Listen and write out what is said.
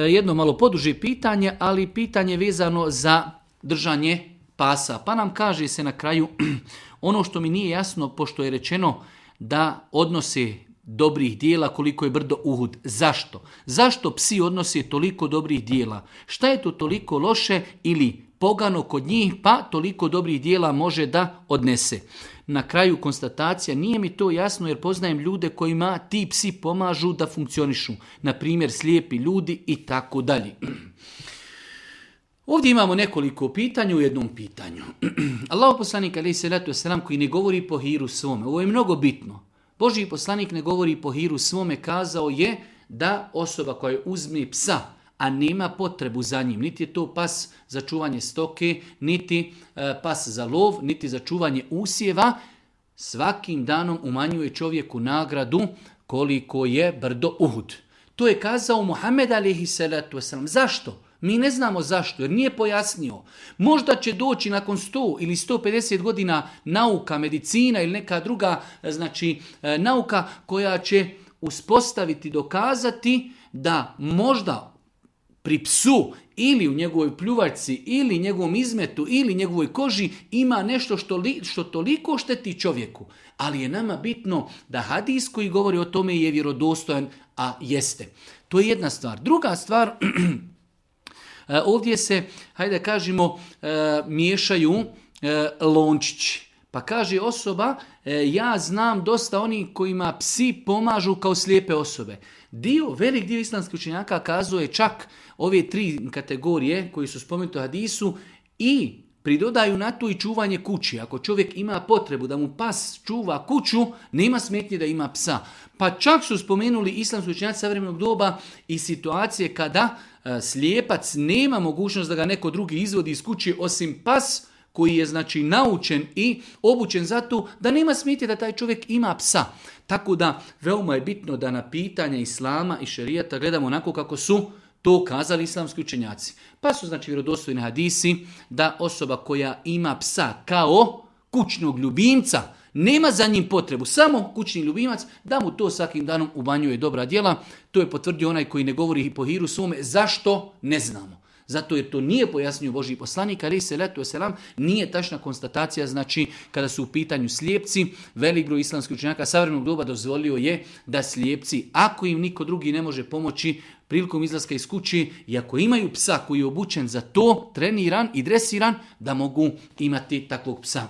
jedno malo poduže pitanje, ali pitanje vezano za držanje pasa. Pa nam kaže se na kraju ono što mi nije jasno, pošto je rečeno da odnose dobrih dijela koliko je brdo Uhud. Zašto? Zašto psi odnose toliko dobrih dijela? Šta je to toliko loše ili pogano kod njih, pa toliko dobrih dijela može da odnese? Na kraju konstatacija, nije mi to jasno jer poznajem ljude kojima ti psi pomažu da funkcionišu. Na primjer, slijepi ljudi i tako dalje. Ovdje imamo nekoliko pitanja u jednom pitanju. Allahu poslanik alejhi selatu vesselam koji ne govori po hiru svome. Ovo je mnogo bitno. Božji poslanik ne govori po hiru svome, kazao je da osoba koja uzme psa, a nema potrebu za njim, niti je to pas za čuvanje stoke, niti pas za lov, niti za čuvanje usjeva, svakim danom umanjuje čovjeku nagradu koliko je brdo Uhud. To je kazao Muhammed alejhi selatu vesselam. Zašto? Mi ne znamo zašto, jer nije pojasnio. Možda će doći nakon 100 ili 150 godina nauka, medicina ili neka druga nauka koja će uspostaviti, dokazati da možda pri psu ili u njegovoj pljuvačci ili njegovom izmetu ili njegovoj koži ima nešto što toliko šteti čovjeku. Ali je nama bitno da hadis koji govori o tome je vjerodostojan, a jeste. To je jedna stvar. Druga stvar, ovdje se, hajde kažemo, miješaju lončići. Pa kaže osoba, ja znam dosta onih kojima psi pomažu kao slijepe osobe. Velik dio islamskih učenjaka kazuje čak ove 3 kategorije koji su spomenuti u hadisu i pridodaju na to i čuvanje kući. Ako čovjek ima potrebu da mu pas čuva kuću, nema smetnje da ima psa. Pa čak su spomenuli islamski učenjaci savremenog doba i situacije kada slijepac nema mogućnost da ga neko drugi izvodi iz kuće osim pas koji je naučen i obučen za to, da nema smetnje da taj čovjek ima psa. Tako da veoma je bitno da na pitanja islama i šerijata gledamo onako kako su to kazali islamski učenjaci. Pa su vjerodostojni hadisi da osoba koja ima psa kao kućnog ljubimca, nema za njim potrebu, samo kućni ljubimac, da mu to svakim danom umanjuje dobra djela. To je potvrdio onaj koji ne govori po hiru svome. Zašto? Ne znamo. Zato jer to nije pojasnio Božji poslanik, alejhi selatu vesselam, nije tačna konstatacija, kada su u pitanju slijepci, velik broj islamskih učenjaka savremenog doba dozvolio je da slijepci, ako im niko drugi ne može pomoći prilikom izlaska iz kući, i ako imaju psa koji je obučen za to, treniran i dresiran, da mogu imati takvog psa.